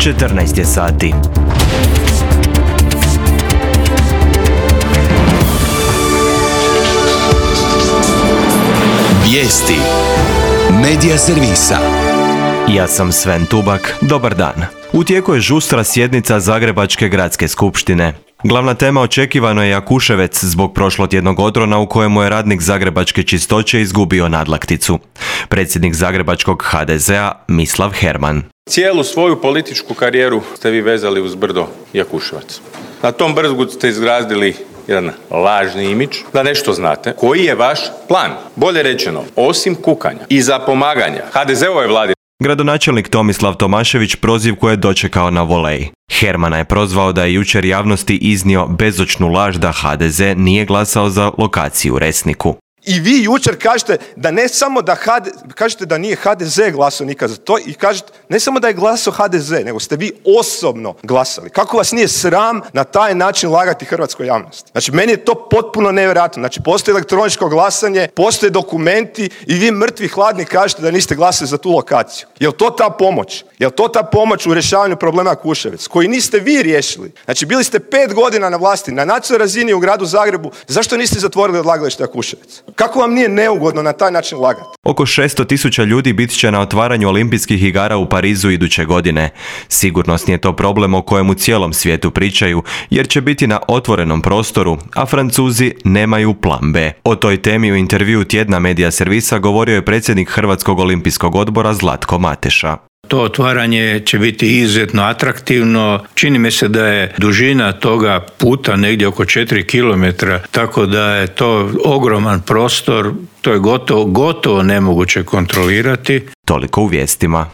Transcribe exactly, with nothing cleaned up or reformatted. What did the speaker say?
četrnaest je sati. Vijesti Medija servisa. Ja sam Sven Tubak, dobar dan. U tijeku je žustra sjednica Zagrebačke gradske skupštine. Glavna tema očekivano je Jakuševec zbog prošlotjednog odrona u kojemu je radnik Zagrebačke čistoće izgubio nadlakticu. Predsjednik Zagrebačkog ha de zea Mislav Herman. Cijelu svoju političku karijeru ste vi vezali uz brdo Jakuševac. Na tom brdu ste izgradili jedan lažni imidž da nešto znate. Koji je vaš plan? Bolje rečeno, osim kukanja i zapomaganja ha de zeovoj vladi. Gradonačelnik Tomislav Tomašević prozivku je dočekao na volej. Hermana je prozvao da je jučer javnosti iznio bezočnu laž da ha de ze nije glasao za lokaciju u Resniku. I vi jučer kažete da ne samo da ha de, kažete da nije ha de ze glasao nikad za to i kažete ne samo da je glasao ha de ze, nego ste vi osobno glasali. Kako vas nije sram na taj način lagati hrvatskoj javnosti? Znači, meni je to potpuno nevjerojatno. Znači, postoji elektroničko glasanje, postoje dokumenti i vi mrtvi hladni kažete da niste glasali za tu lokaciju. Jel to ta pomoć? Jel to ta pomoć u rješavanju problema Jakuševec, koji niste vi riješili? Znači, bili ste pet godina na vlasti, na nacionalnoj razini u gradu Zagrebu, zašto niste zatvorili odlagalište Jakuševec? Kako vam nije neugodno na taj način lagati? Oko šesto tisuća ljudi bit će na otvaranju olimpijskih igara u Parizu iduće godine. Sigurnosni je to problem o kojem u cijelom svijetu pričaju, jer će biti na otvorenom prostoru, a Francuzi nemaju plan be. O toj temi u intervjuu tjedna Medija servisa govorio je predsjednik Hrvatskog olimpijskog odbora Zlatko Mateša. To otvaranje će biti izuzetno atraktivno. Čini mi se da je dužina toga puta negdje oko četiri kilometra, tako da je to ogroman prostor, to je gotovo, gotovo nemoguće kontrolirati. Toliko u vijestima.